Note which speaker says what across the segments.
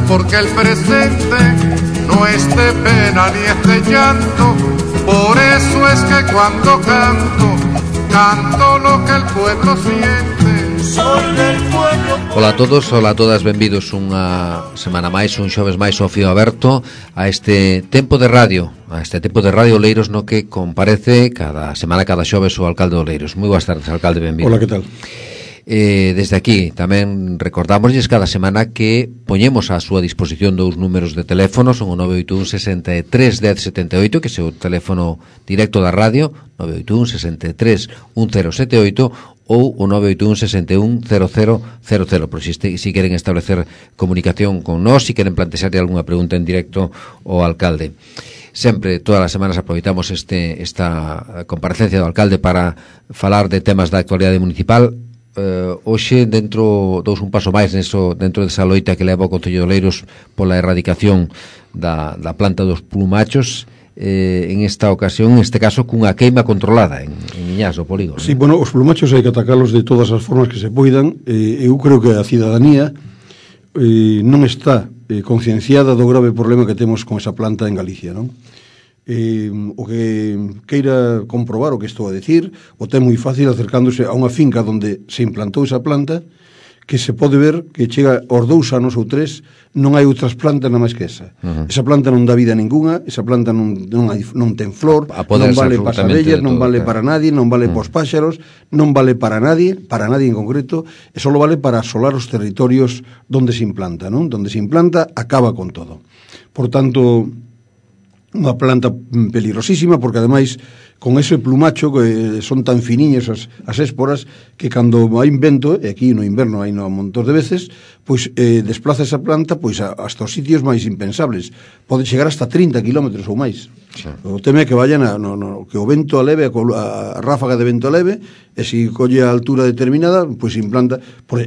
Speaker 1: porque el presente no es de pena ni es de llanto. Por eso es que cuando canto lo que el pueblo siente. Soy del pueblo.
Speaker 2: Ola a todos, ola a todas, benvidos unha semana máis, un xoves máis ao fío aberto a este tempo de radio, Oleiros, no que comparece cada semana, cada xoves, o alcalde de Oleiros. Moi boas tardes, alcalde, benvido.
Speaker 3: Ola, que tal?
Speaker 2: Desde aquí tamén recordámosles cada semana que poñemos á súa disposición dous números de teléfono, son o 981 63 10 78, que é o teléfono directo da radio, 981 63 1078, ou o 981 61 0000, por si queren establecer comunicación con nós, si queren plantexarle algunha pregunta en directo ao alcalde. Sempre, todas as semanas, aproveitamos esta comparecencia do alcalde para falar de temas da actualidade municipal. Hoxe, dous un paso máis dentro desa loita que leva o Concello de Oleiros pola erradicación da planta dos plumachos, en esta ocasión, en este caso, cunha queima controlada en Miñás, do polígono.
Speaker 3: Sí, bueno, os plumachos hai que atacalos de todas as formas que se poidan. Eu creo que a cidadanía non está concienciada do grave problema que temos con esa planta en Galicia, non? O que queira comprobar o que estou a decir, o ten moi fácil acercándose a unha finca onde se implantou esa planta, que se pode ver que chega aos 2 anos ou 3, non hai outras plantas nada máis que esa. Esa planta non dá vida ninguna, esa planta non ten flor, non vale para as abellas, non vale para nadie, non vale para os páxaros, non vale para nadie en concreto, e só vale para asolar os territorios onde se implanta, non? Donde se implanta acaba con todo. Por tanto, unha planta peligrosísima, porque ademais con ese plumacho que son tan finiños as esporas, que cando hai vento, e aquí no inverno hai un montón de veces, pois desplaza esa planta pois hasta os sitios máis impensables. Pode chegar hasta 30 kilómetros ou máis. Sí. O tema é que vayan que o vento aleve, a ráfaga de vento aleve, e se colle a altura determinada, pois implanta.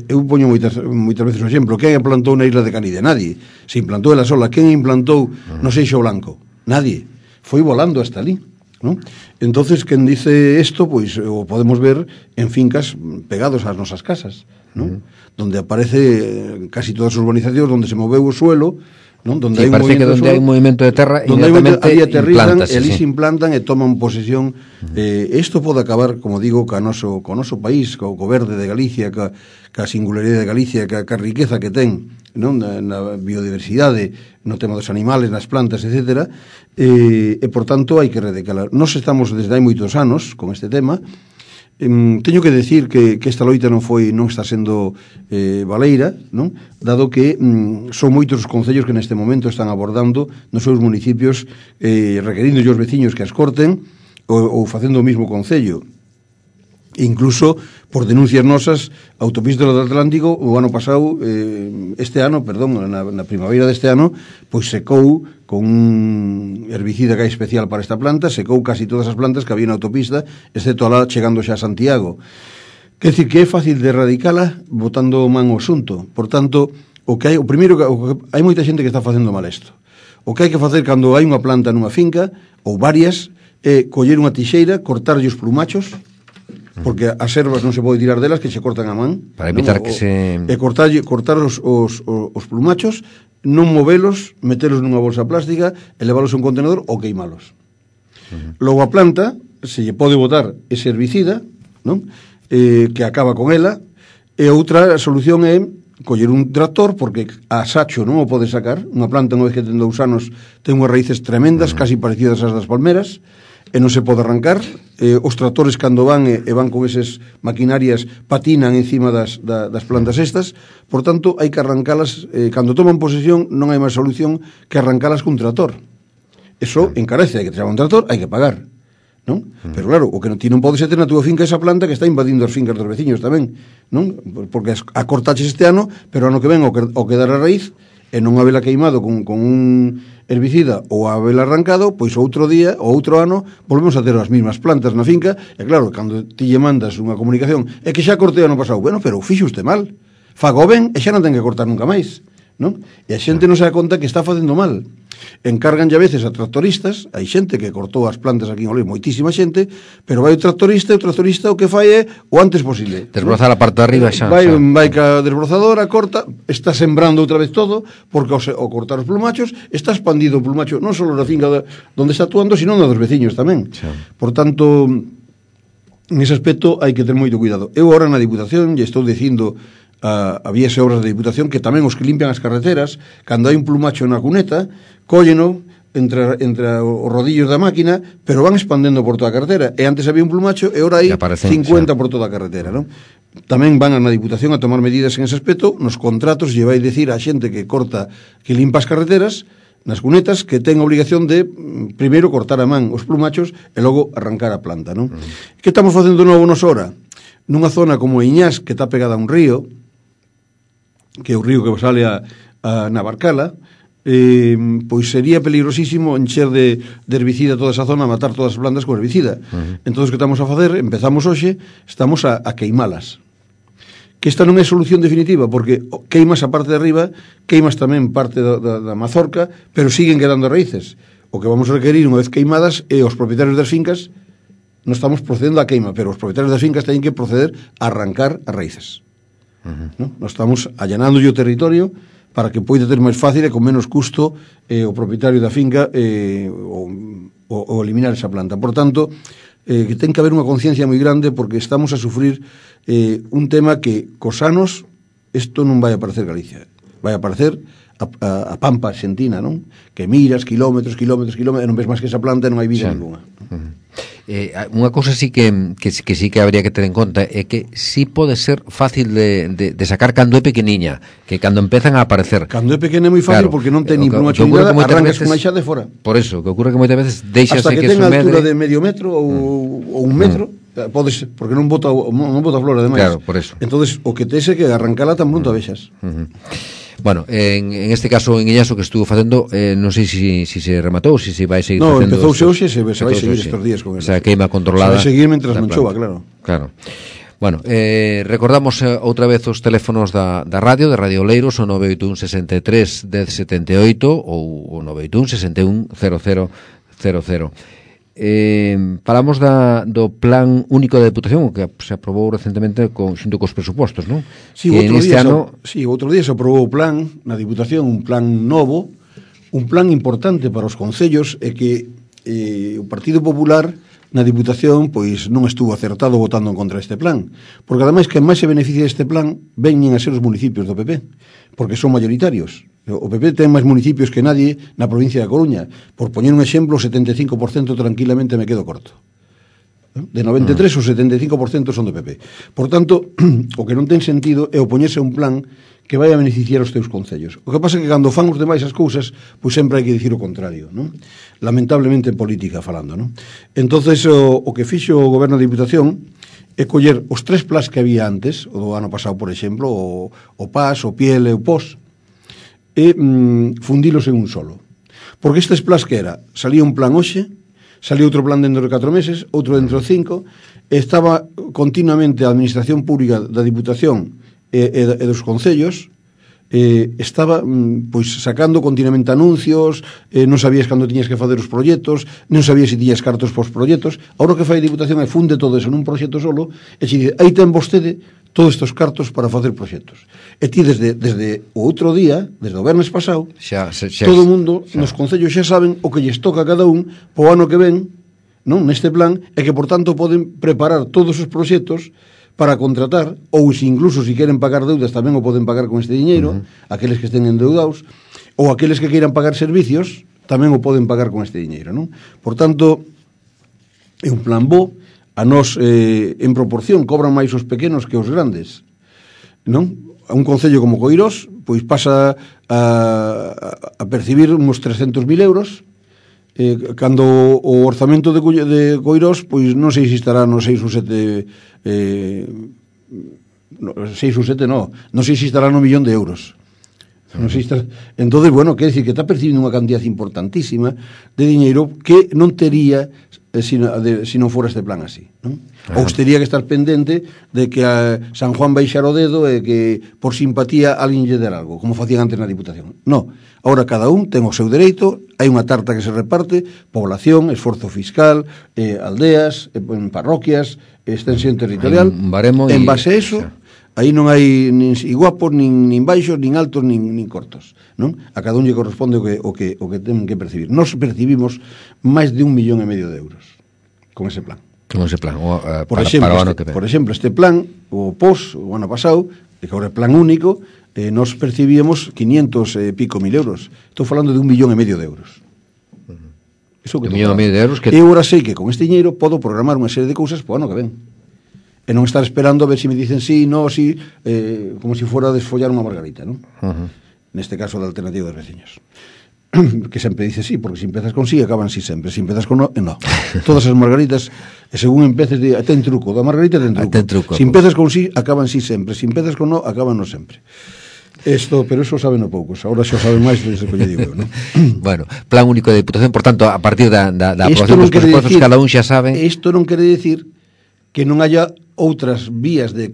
Speaker 3: Eu poño moitas veces o exemplo: quen implantou na isla de Canide? Nadie. Se implantou ela sola. Quen implantou no Seixo Blanco? Nadie. Foi volando hasta ali, ¿no? Entonces, quen dice isto, pois o podemos ver en fincas pegados ás nosas casas, ¿no? Donde aparece casi todas as urbanizacións donde se moveu o suelo, ¿no? Donde
Speaker 2: sí, parece que donde hai un movimento de terra, inmediatamente
Speaker 3: aterrizan, ali se implantan e toman posesión. Isto pode acabar, como digo, co noso país, co verde de Galicia, ca singularidade de Galicia, ca riqueza que ten, non? Na biodiversidade, no tema dos animales, nas plantas, etc. E por tanto hai que erradicalar. Nós estamos desde hai moitos anos con este tema. Teño que decir que esta loita non está sendo baleira, non? Dado que son moitos os concellos que neste momento están abordando nos seus municipios, requerindo os veciños que as corten, ou facendo o mismo concello. Incluso por denuncias nosas, a Autopista do Atlántico o ano pasado, na primavera deste ano, pois secou con un herbicida que hai especial para esta planta, secou casi todas as plantas que había na autopista, excepto alá chegando xa a Santiago. Quer dicir que é fácil de erradicala botando man o asunto. Por tanto, o primeiro, hai moita xente que está facendo mal isto. O que hai que facer cando hai unha planta nunha finca, ou varias, é coller unha tixeira, cortarlle os plumachos, porque as ervas non se pode tirar delas, que se cortan a man,
Speaker 2: para evitar que se...
Speaker 3: cortar os plumachos, non movelos, metelos nunha bolsa plástica e leválos a un contenedor ou queimalos. Logo a planta se lle pode botar ese herbicida, non? Que acaba con ela, e outra solución é coller un tractor, porque a sacho non o pode sacar. Unha planta, unha vez que ten 2 anos, ten unhas raíces tremendas, casi parecidas ás das palmeras, e non se pode arrancar. Os tractores, cando van con esas maquinarias, patinan encima das plantas estas. Por tanto, hai que arrancalas. Cando toman posesión, non hai máis solución que arrancalas cun tractor. Eso encarece, hai que traer un tractor, hai que pagar, non? Pero claro, o que ti non podes ter na túa finca esa planta que está invadindo as fincas dos veciños tamén, non? Porque a cortaches este ano, pero ano que ven o que dar a raíz, e non habela queimado con un herbicida ou habela arrancado, pois outro día ou outro ano volvemos a ter as mesmas plantas na finca. E claro, cando ti lle mandas unha comunicación, é que xa cortei ano pasado, bueno, pero fixo usted mal, fago ben e xa non ten que cortar nunca máis, non? E a xente non se dá conta que está facendo mal. encargan a veces a tractoristas, hai xente que cortou as plantas aquí en Oleiros, moitísima xente, pero vai o tractorista o que fai é o antes posible.
Speaker 2: Desbrozar a parte de arriba xa.
Speaker 3: Vai ca desbrozadora, corta, está sembrando outra vez todo, porque ao cortar os plumachos, está expandido o plumacho non só na finca onde está actuando, sino na dos veciños tamén.
Speaker 2: Xa.
Speaker 3: Por tanto, en ese aspecto hai que ter moito cuidado. Eu agora na Diputación lle estou dicindo a vías e obras da Diputación que tamén os que limpian as carreteras, cando hai un plumacho na cuneta, cólleno entre os rodillos da máquina, pero van expandendo por toda a carretera. E antes había un plumacho e ahora hai 50 por toda a carretera, non? Tamén van na Diputación a tomar medidas en ese aspecto. Nos contratos lle vai dicir a xente que corta, que limpa as carreteras nas cunetas, que ten a obligación de primeiro cortar a man os plumachos e logo arrancar a planta, non? Que estamos facendo novo nos hora? Nunha zona como Iñás, que está pegada a un río, que é o río que sale a Navarcala, pois sería peligrosísimo encher de herbicida toda esa zona, matar todas as plantas con herbicida. Entón, que estamos a facer, empezamos hoxe, estamos a queimalas. Que esta non é solución definitiva, porque queimas a parte de arriba, queimas tamén parte da mazorca, pero siguen quedando raíces. O que vamos a requerir unha vez queimadas é os propietarios das fincas, non estamos procedendo a queima, pero os propietarios das fincas teñen que proceder a arrancar as raíces. ¿No? Nos estamos allanando o territorio para que poida ter máis fácil e con menos custo o propietario da finca o eliminar esa planta. Por tanto, que ten que haber unha conciencia moi grande, porque estamos a sufrir un tema que cos anos isto non vai a aparecer Galicia, vai a aparecer a Pampa Argentina, non? Que miras kilómetros, e non ves máis que esa planta e non hai vida ninguna.
Speaker 2: Unha cousa sí que sí que habría que ter en conta é que sí pode ser fácil de sacar cando é pequeniña, que cando empezan a aparecer.
Speaker 3: Cando é pequena é moi fácil, claro, porque non ten nin plumacho ni nada, arrancas con a xa de fora.
Speaker 2: Por eso, que ocurre que moitas veces deixase que
Speaker 3: ten altura de medio metro ou un metro, podes, porque non bota flor ademais.
Speaker 2: Claro, por eso.
Speaker 3: Entonces, o que tes é que arrancala tan pronto a vexas.
Speaker 2: Bueno, en este caso en Iñaso que estuvo facendo, non sei se se rematou, se vai seguir facendo.
Speaker 3: No, empezouse hoxe, se vai seguir estes días con
Speaker 2: ele. O sea, queima controlada.
Speaker 3: Se vai seguir mentras non chova, claro.
Speaker 2: Claro. Bueno, recordamos outra vez os teléfonos da radio, de Radio Oleiros, o 981 63 1078 ou o 981 61 0000. Falamos do plan único de Deputación que se aprobou recentemente xunto cos presupostos, non?
Speaker 3: Sí, outro día se aprobou o plan na Deputación, un plan novo, un plan importante para os concellos, e que o Partido Popular na Deputación pois non estuvo acertado votando en contra deste plan, porque ademais que máis se beneficia deste plan veñen a ser os municipios do PP, porque son mayoritarios. O PP ten máis municipios que nadie na provincia da Coruña. Por poñer un exemplo, o 75% tranquilamente me quedo corto. De 93, o 75% son do PP. Por tanto, o que non ten sentido é opoñerse a un plan que vai a beneficiar os teus concellos. O que pasa é que cando fan os demais as cousas, pois sempre hai que dicir o contrario, non? Lamentablemente en política falando, non? Entonces, o que fixo o Goberno da Diputación é coller os 3 plans que había antes, o do ano pasado, por exemplo, o PAS, o PIEL e o POS, e fundilos en un solo. Porque estes plans que era, salía un plan hoxe, salía outro plan dentro de 4 meses, outro dentro de 5, estaba continuamente a Administración Pública da Diputación e dos concellos, estaba pois sacando continuamente anuncios, non sabías cando tiñas que facer os proxectos, non sabías se tiñas cartos pos proxectos. Agora o que fai a Diputación é funde todo eso nun proxecto solo e se dice, aí ten vostede todos estes cartos para facer proxectos. E ti desde o outro día, desde o vernes pasado, todo o mundo nos concellos xa saben o que lles toca a cada un po ano que ven, non, neste plan, e que por tanto poden preparar todos os proxectos para contratar, ou se incluso se queren pagar deudas tamén o poden pagar con este diñeiro, aqueles que estén endeudados, ou aqueles que queiran pagar servicios tamén o poden pagar con este diñeiro, non? Por tanto, é un plan bo. A nós, en proporción, cobran máis os pequenos que os grandes, non? A un concello como Coirós, pois pasa a percibir uns 300.000 euros, cando o orzamento de Coirós, pois non sei se estará no 6 ou 7, non sei se estará no 1.000.000 de euros. Non sei se entonces, bueno, quer decir que está percibindo unha cantidad importantísima de diñeiro que non tería se non fora este plan así, non? Ou teria que estar pendente de que a San Juan baixara o dedo e que por simpatía alguén lle der algo, como facían antes na Diputación. No, ahora cada un ten o seu dereito, hai unha tarta que se reparte, población, esforzo fiscal, aldeas, parroquias, extensión territorial, en base a eso, aí non hai nin guapos, nin baixos, nin altos, nin cortos, non? A cada un lle corresponde o que ten que percibir. Nos percibimos máis de 1,5 millón de euros con ese plan.
Speaker 2: Con ese plan,
Speaker 3: por exemplo, este plan, o POS, o ano pasado, que agora é plan único, nos percibíamos 500 e pico mil euros. Estou falando de 1,5 millón de euros. Iso que
Speaker 2: 1,5 millón de euros que...
Speaker 3: Eu agora sei que con este dinheiro podo programar unha serie de cousas para o ano que ven. E non estar esperando a ver se me dicen sí, no, sí, como se fora a desfollar unha margarita, non? Neste caso da alternativa dos veciños. Que sempre dice sí, porque se empezas con sí, acaban sí sempre. Se empezas con no, no. Todas as margaritas, según empeces, ten truco. Da margarita ten truco. Se empezas con sí, acaban sí sempre. Se empezas con no, acaban no sempre. Pero eso saben o poucos. Ahora xa saben máis desde que lle digo, non?
Speaker 2: Bueno, plan único de Diputación, por tanto, a partir da aprobación dos presupostos, cada un xa sabe...
Speaker 3: Isto non quere decir que non haya outras vías de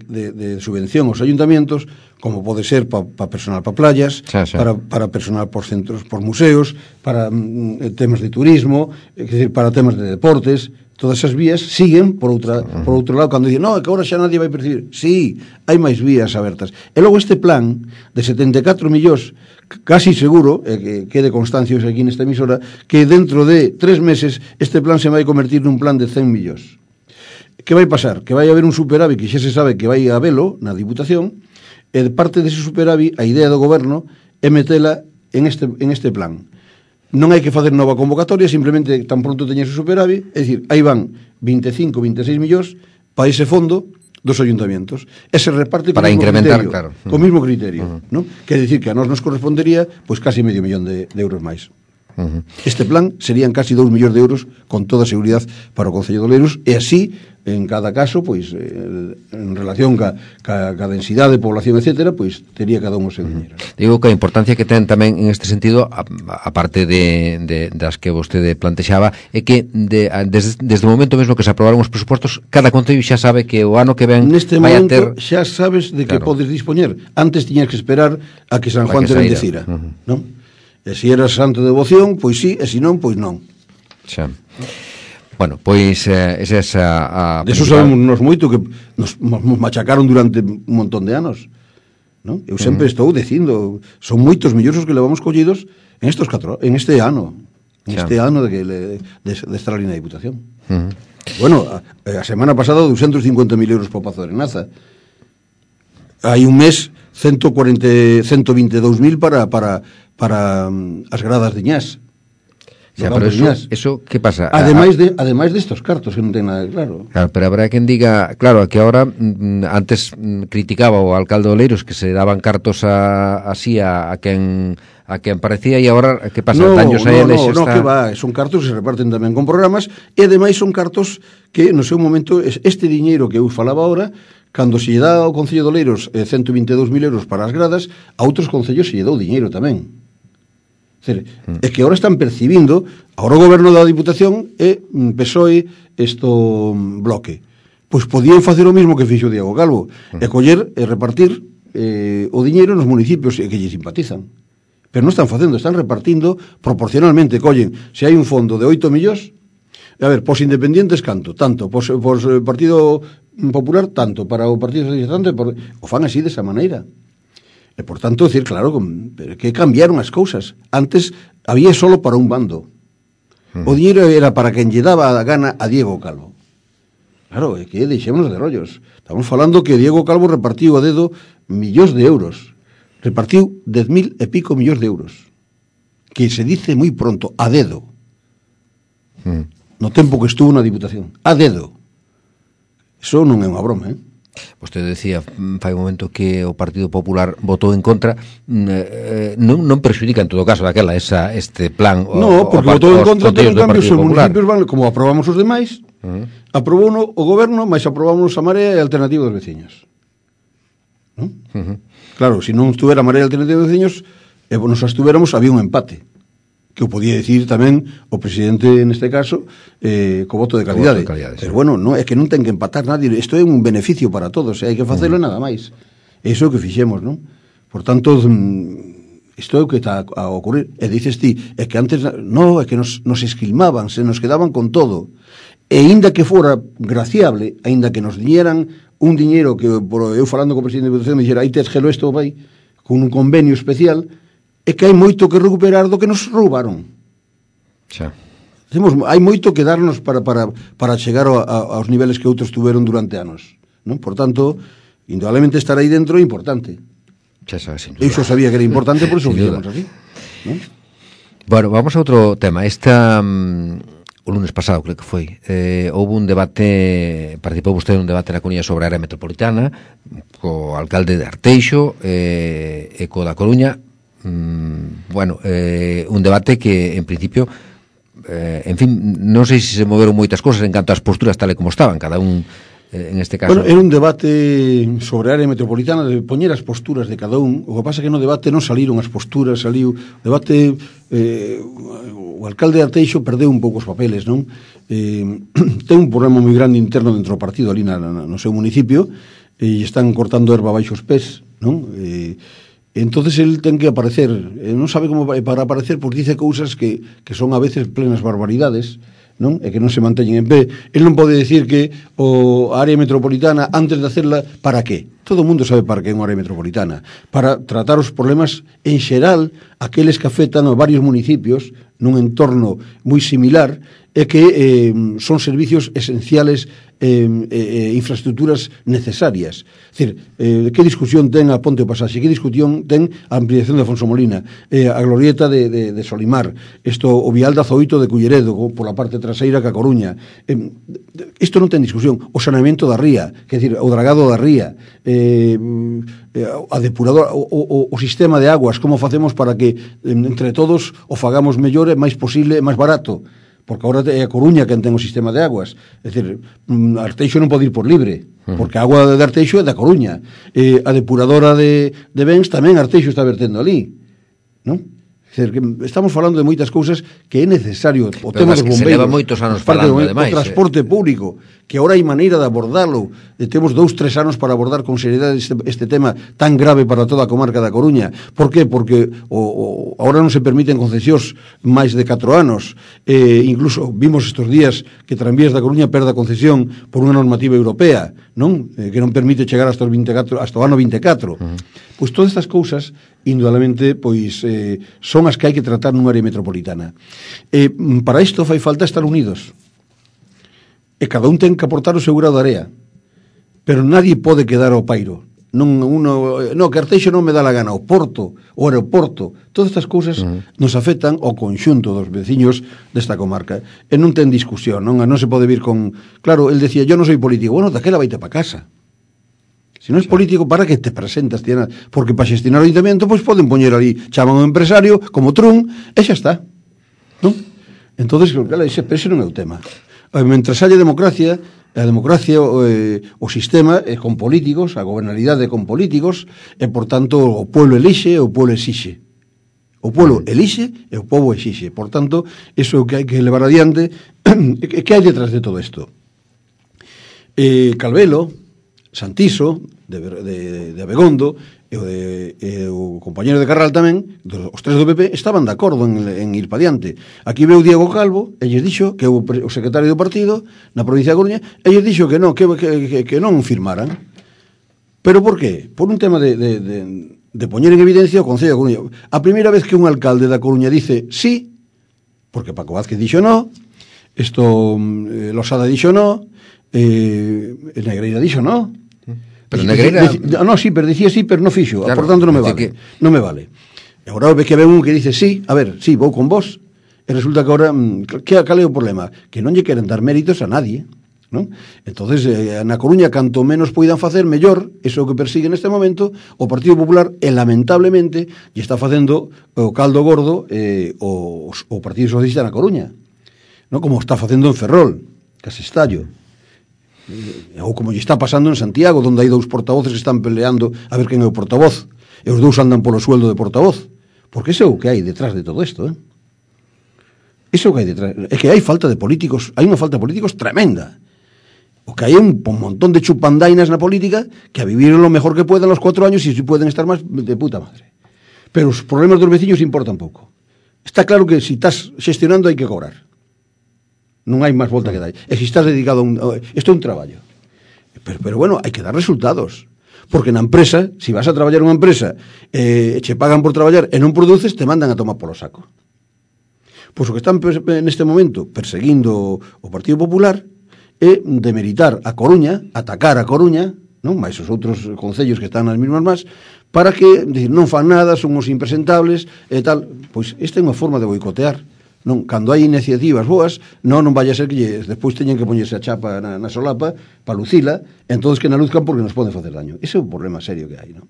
Speaker 3: subvención aos ayuntamentos, como pode ser para personal para playas, para personal por centros, por museos, para temas de turismo, é dicir, para temas de deportes. Todas esas vías siguen por outro lado, cando dicen, no, que agora xa nadie vai percibir. Sí, hai máis vías abertas. E logo este plan de 74 millóns, casi seguro, que quede constancia aquí nesta emisora, que dentro de 3 meses este plan se vai convertir nun plan de 100 millóns. Que vai pasar? Que vai haber un superávit que xa se sabe que vai a velo na Diputación, e de parte dese superávit a idea do goberno é metela en este plan. Non hai que facer nova convocatoria, simplemente tan pronto teñes o superávit, é dicir, aí van 25, 26 millóns para ese fondo dos ayuntamentos, e se reparte
Speaker 2: para incrementar, claro,
Speaker 3: co mismo criterio, ¿no? Quer dicir que a nós nos correspondería pois casi medio millón de euros máis. Este plan serían casi 2 millóns de euros con toda a seguridade para o Concello de Oleiros, e así en cada caso, pois en relación ca densidade de población, etcétera, pois tería cada un o seu dinheiro.
Speaker 2: Digo que a importancia que ten tamén en este sentido, a parte das que vostede plantexaba, é que desde o momento mesmo que se aprobaron os presupostos, cada concello xa sabe que o ano que ven
Speaker 3: neste
Speaker 2: vai a
Speaker 3: momento
Speaker 2: ter...
Speaker 3: xa sabes de que podes dispoñer. Antes tiñas que esperar a que San Juan te bendecira, non? E se eras santo de devoción, pois sí, e se non, pois non.
Speaker 2: Xa. Bueno, pois esa
Speaker 3: de eso sabemos nos moito, que nos machacaron durante un montón de anos, non? Eu sempre estou dicindo, son moitos millóns os que levamos collidos en este ano, de estar ali na Diputación. Bueno, a semana pasada 250.000 euros para o Pazo de Arenaza. Hai un mes 122.000 para as gradas de Ñás.
Speaker 2: Xa, pero eso que pasa?
Speaker 3: Ademais destos cartos que non ten nada claro.
Speaker 2: Claro, pero habrá quen diga, claro, que ahora antes criticaba o alcalde de Oleiros que se daban cartos así a quen parecía, e agora que pasa? Daños a eles
Speaker 3: no, que va, son cartos que se reparten tamén con programas, e ademais son cartos que no seu momento este diñeiro que eu falaba agora, cando se lle dá ao Concello de Oleiros 122.000 euros para as gradas, a outros concellos se lle dou diñeiro tamén. É que agora están percibindo, agora o goberno da Diputación é PSOE bloque. Pois podían facer o mesmo que fixo Diego Calvo, e coller e repartir o diñeiro nos municipios que lle simpatizan. Pero non están facendo, están repartindo proporcionalmente. Collen, se hai un fondo de 8 millóns, a ver, pos independientes canto, tanto, pos Partido Popular tanto, para o Partido Socialista tanto, o fan así desa maneira. E, por tanto, decir, claro, que cambiaron as cousas. Antes había solo para un bando. O dinheiro era para quen lle daba a gana a Diego Calvo. Claro, é que deixémonos de rollos. Estamos falando que Diego Calvo repartiu a dedo millóns de euros. Repartiu 10.000 e pico millóns de euros. Que se dice moi pronto, a dedo. No tempo que estuvo na Diputación. A dedo. Eso non é unha broma,
Speaker 2: Vostede decía fai un momento que o Partido Popular votou en contra, non perxudica en todo caso este plan.
Speaker 3: No, porque votou en contra, pero en cambio os municipios van, como aprobamos os demais, aprobou o goberno, mas aprobamos a Marea e a Alternativa dos Veciños. Claro, se non estuvera a Marea e a Alternativa dos Veciños, e nos estuveramos, había un empate. que o podía dicir tamén o presidente neste caso co voto de calidade, pero bueno, no, é que non ten que empatar nadie, isto é un beneficio para todos, hai que facelo nada máis, iso é o que fixemos, non? Por tanto, isto é o que está a ocurrir, e dices ti, é que antes no, é que nos esquilmaban, se nos quedaban con todo, e aínda que fora graciable, aínda que nos diñeran un diñeiro que eu falando co presidente de Diputación me dixera, aí tes gelo isto vai con un convenio especial, é que hai moito que recuperar do que nos roubaron.
Speaker 2: Xa.
Speaker 3: Hai moito que darnos para chegar aos niveles que outros tuveron durante anos, non? Por tanto, indudablemente estar aí dentro é importante.
Speaker 2: Xa sabes, sin duda.
Speaker 3: Eu xo sabía que era importante, por iso fixemos así, non?
Speaker 2: Bueno, vamos a outro tema. O lunes pasado, creo que foi, houve un debate, participou vostede en un debate na Coruña sobre a área metropolitana, co alcalde de Arteixo e co da Coruña. Bueno, un debate que en principio en fin, non sei se moveron moitas cosas en canto ás posturas tal e como estaban, cada un en este caso.
Speaker 3: Bueno, era un debate sobre a área metropolitana, de poñer as posturas de cada un. O que pasa é que no debate non saliron as posturas, saliu o debate, o alcalde de Arteixo perdeu un pouco os papeles, non? Ten un problema moi grande interno dentro do partido ali no seu municipio, e están cortando erva baixo os pés, non? Entonces el ten que aparecer, non sabe como para aparecer, porque dice cousas que son a veces plenas barbaridades, non? E que non se manteñen en pé. El non pode decir que a área metropolitana, antes de hacerla, para qué? Todo o mundo sabe para que é unha área metropolitana, para tratar os problemas en xeral, aqueles que afectan a varios municipios nun entorno moi similar, e que son servicios esenciales, infraestructuras necesarias. É dicir, que discusión ten a Ponte o Pasaxe, que discusión ten a ampliación de Afonso Molina, a glorieta de Solimar, o vial de Azoito de Culleredo, pola parte traseira que a Coruña. Isto non ten discusión. O saneamento da ría, que decir, o dragado da ría, a depuradora, o sistema de aguas, como facemos para que entre todos o fagamos mellor e máis posible e máis barato, porque agora é a Coruña quen ten o sistema de aguas. É dicir, Arteixo non pode ir por libre, porque a agua de Arteixo é da Coruña. A depuradora de Bens tamén Arteixo está vertendo ali, non? É dicir, que estamos falando de moitas cousas que é necesario. O tema dos bombeiros,
Speaker 2: se leva moitos anos falando, ademais,
Speaker 3: o transporte público, que agora hai maneira de abordalo. Temos 2-3 anos para abordar con seriedade este tema tan grave para toda a comarca da Coruña. Por qué? Porque agora non se permiten concesións máis de 4 anos. Incluso vimos estes días que Tranvías da Coruña perda concesión por unha normativa europea, non? Que non permite chegar hasta o ano 24. Pois todas estas cousas, indudablemente, pois son as que hai que tratar nunha área metropolitana. Para isto fai falta estar unidos. E cada un ten que aportar o seu grado de área. Pero nadie pode quedar ao pairo. Que Arteixo non me dá la gana. O porto, o aeroporto, todas estas cousas nos afectan ao conxunto dos veciños desta comarca. E non ten discusión, non se pode vir con... Claro, el decía, yo non soy político. Bueno, daquela vaite pa casa. Se non é político, para que te presentas? Porque para xestionar o ayuntamiento, pois poden poñer ali, chaman un empresario, como Trump, e xa está. Non? Entonces, claro, ese non é o tema. Mentre haya democracia, a democracia, o sistema é con políticos, a gobernabilidade con políticos, e, por tanto, o pueblo elixe e o pueblo exixe. O pueblo elixe e o povo exixe. Por tanto, iso é o que hai que levar adiante. Que hai detrás de todo isto? Calvelo, Santiso, de Abegondo, e o compañero de Carral tamén, os tres do PP, estaban de acordo en ir pa diante. Aquí veu Diego Calvo, e lles dixo que o secretario do partido na provincia de Coruña, e lles dixo que non firmaran. Pero por qué? Por un tema de poñer en evidencia o Concello de Coruña. A primeira vez que un alcalde da Coruña dice sí, porque Paco Vázquez dixo no, Losada dixo no, Negreira dixo no.
Speaker 2: Pero Negreira...
Speaker 3: sí, pero dicía sí, pero non fixo, claro, por tanto non me vale. Non me vale. E agora ve que ven un que dice sí, a ver, sí, vou con vos, e resulta que agora, cal é o problema? Que non lle queren dar méritos a nadie, non? Entonces, na Coruña, canto menos poidan facer, mellor, iso é o que persigue neste momento o Partido Popular, e lamentablemente lle está facendo o caldo gordo o Partido Socialista na Coruña, non? Como está facendo en Ferrol, Casestallo, ou como lle está pasando en Santiago, onde hai 2 portavoces que están peleando a ver quen é o portavoz, e os 2 andan polo sueldo de portavoz, porque ese é o que hai detrás de todo isto, Iso que hai detrás. É que hai falta de políticos, hai unha falta de políticos tremenda. O que hai un montón de chupandainas na política que a vivir lo mejor que puedan los 4 años y si pueden estar más de puta madre. Pero os problemas dos veciños importan pouco. Está claro que si estás xestionando hai que cobrar. Non hai máis volta que dar. E se estás dedicado a un... Isto é un traballo. Pero bueno, hai que dar resultados. Porque na empresa, se vas a traballar unha empresa che pagan por traballar e non produces, te mandan a tomar polo saco. Pois o que están neste momento perseguindo o Partido Popular é demeritar a Coruña, atacar a Coruña, non máis os outros concellos que están nas mismas más, para que non fan nada, son os impresentables e tal. Pois esta é unha forma de boicotear. Non, cando hai iniciativas boas, non vai a ser que despois teñen que poñerse a chapa na solapa para lucila, entonces que na luzcan porque nos poden facer daño. Ese é un problema serio que hai, non?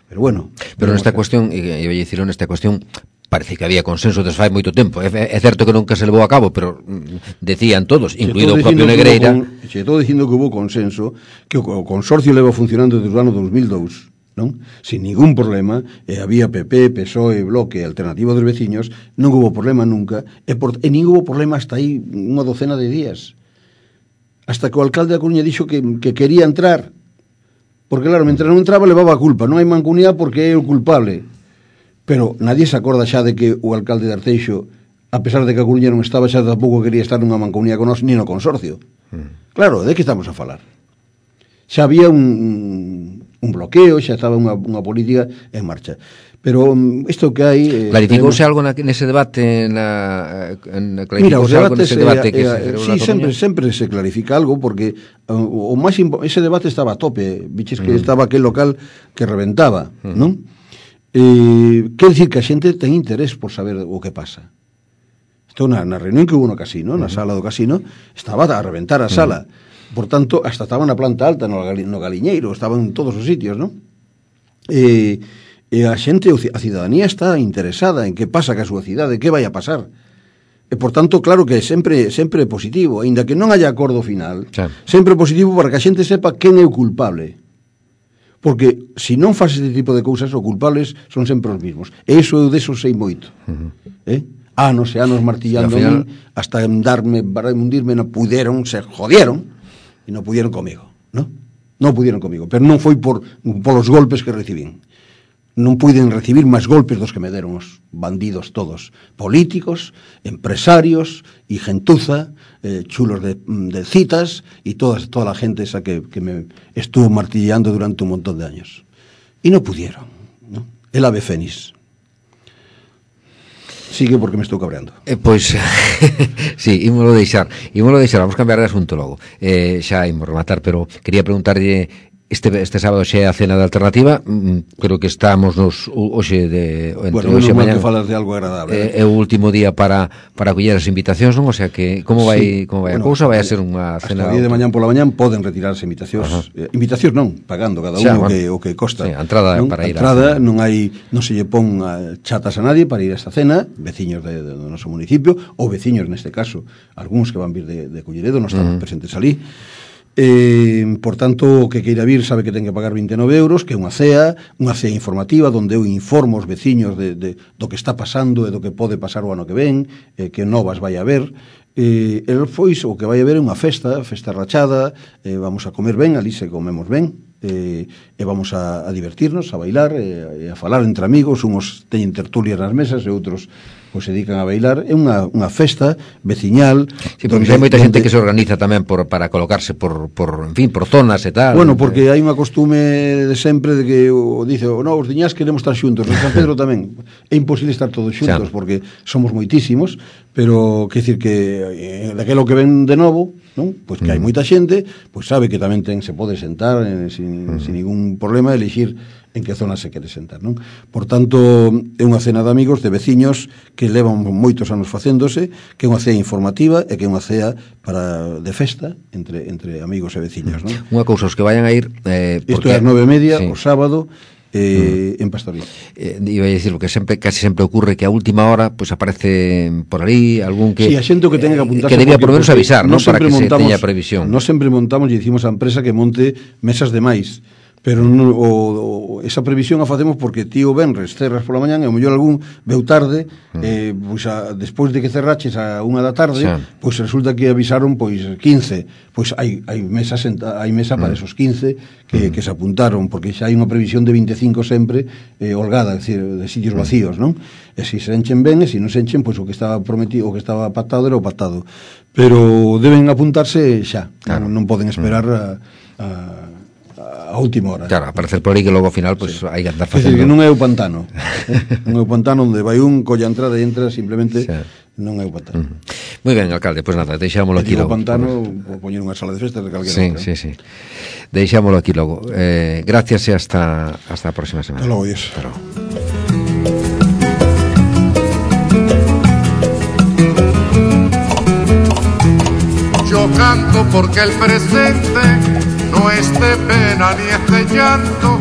Speaker 3: Pero bueno,
Speaker 2: pero nesta cuestión, e vai dicir nesta cuestión, parece que había consenso desde fai moito tempo. É certo que nunca se levou a cabo, pero decían todos, incluído o propio Negreira.
Speaker 3: Se estou dicindo que hubo consenso, que o consorcio leva funcionando desde o ano 2002, non? Sin ningún problema, había PP, PSOE, Bloque, Alternativa dos Veciños, non hubo problema nunca, e nin hubo problema hasta aí unha docena de días. Hasta que o alcalde da Coruña dixo que quería entrar, porque claro, mentre non entraba levaba a culpa, non hai mancomunidade porque é o culpable. Pero nadie se acorda xa de que o alcalde de Arteixo, a pesar de que a Coruña non estaba, xa tampouco quería estar nunha mancomunidade con nós, ni no consorcio. Claro, de que estamos a falar? Xa había un bloqueo, xa estaba unha política en marcha. Pero isto que hai...
Speaker 2: Clarificouse algo nese debate?
Speaker 3: Mira, os debates... Sí, sempre se clarifica algo, porque ese debate estaba a tope. Viches que estaba aquel local que reventaba, non? Quer dicir que a xente ten interés por saber o que pasa. Isto na reunión que hubo no casino, na sala do casino, estaba a reventar a sala. Por tanto, hasta estaba na planta alta, no galiñeiro, estaba en todos os sitios, non? E a xente, a cidadanía está interesada en que pasa ca súa cidade, que vai a pasar. E, por tanto, claro que sempre é positivo, aínda que non haya acordo final, sempre é positivo para que a xente sepa quen é o culpable. Porque se non faz este tipo de cousas, os culpables son sempre os mismos. E iso eu deso sei moito. Anos e anos martillando final... hasta para hundirme, non puderon, se jodieron, e non pudieron comigo, non? Non pudieron comigo, pero non foi polos golpes que recibín. Non puiden recibir máis golpes dos que me deron os bandidos todos, políticos, empresarios e gentuza, chulos de citas e toda a gente esa que me estuvo martillando durante un montón de años. E non pudieron, non? El ave fénix. Sigue porque me estou cabreando.
Speaker 2: Pois, sí, ímolo deixar, vamos cambiar de asunto logo. Xa imos rematar, pero quería preguntarlle este sábado xe a cena de Alternativa, creo que estamos hoxe entre hoxe e mañá.
Speaker 3: Que falas de algo agradable.
Speaker 2: É o último día para coller as invitacións, non? O sea que como vai a cousa? Vai a ser unha cena.
Speaker 3: Hasta o día de mañán pola mañán poden retirar as invitacións. Invitacións non, pagando cada uno o que costa.
Speaker 2: Sí, a entrada para ir.
Speaker 3: A entrada non se lle pon chatas a nadie para ir a esta cena, veciños do noso municipio ou veciños neste caso, algúns que van vir de Culleredo, non están presentes ali. Por tanto, o que queira vir sabe que ten que pagar 29 euros, que é unha cea informativa onde eu informo os veciños do que está pasando e do que pode pasar o ano que ven, que novas vai haber. O que vai haber é unha festa rachada, vamos a comer ben, ali se comemos ben, e vamos a divertirnos, a bailar e a falar entre amigos, uns teñen tertulias nas mesas e outros pois se dedican a bailar. É unha festa veciñal.
Speaker 2: Sí, porque hai moita xente que se organiza tamén para colocarse por zonas e tal.
Speaker 3: Bueno, porque hai unha costume de sempre de que dice, os diñas queremos estar xuntos, en San Pedro tamén. É imposible estar todos xuntos porque somos moitísimos, pero quer dicir que daquelo que ven de novo, non? Pois que hai moita xente, pois sabe que tamén se pode sentar sin ningún problema, elixir en que zona se quere sentar, non? Por tanto, é unha cena de amigos, de veciños que levan moitos anos facéndose, que é unha cea informativa e que é unha cea de festa entre amigos e veciños, non?
Speaker 2: Unha cousa, os que vayan a ir...
Speaker 3: Isto é as 9:30, o sábado, en Pastoriza.
Speaker 2: Iba a dicir que casi sempre ocurre que a última hora pues aparece por ali algún que...
Speaker 3: Sí, a xente que tenga que apuntarse...
Speaker 2: Que debía por menos avisar, ¿no? Para que se teña previsión.
Speaker 3: Non sempre montamos e dicimos á empresa que monte mesas de máis, pero esa previsión a facemos porque ti o venres cerras pola mañan e o mellor algún veu tarde, pois despois de que cerraches a 1 da tarde, pois resulta que avisaron pois 15, pois hai mesa para esos 15 que se apuntaron, porque xa hai unha previsión de 25 sempre holgada, é dicir, de sitios vacíos, non? E se enchen ben, e se non se enchen, pois o que estaba prometido, o que estaba pactado era o pactado, pero deben apuntarse xa, claro. Non poden esperar a última hora.
Speaker 2: Claro, aparecer por aí que logo ao final pues, hai que andar facendo.
Speaker 3: É dicir, que non é o pantano. Non é o pantano onde vai un, colla a entrada e entra, simplemente non é o pantano.
Speaker 2: Moi ben, alcalde, pois nada, deixámoslo aquí logo.
Speaker 3: O pantano, poñer unha sala de festas de calquera outra.
Speaker 2: Sí. Deixámoslo aquí logo. Gracias e hasta a próxima semana.
Speaker 3: Hasta logo, Dios.
Speaker 2: Hasta logo.
Speaker 1: Yo canto porque el presente no es de pena ni es de llanto,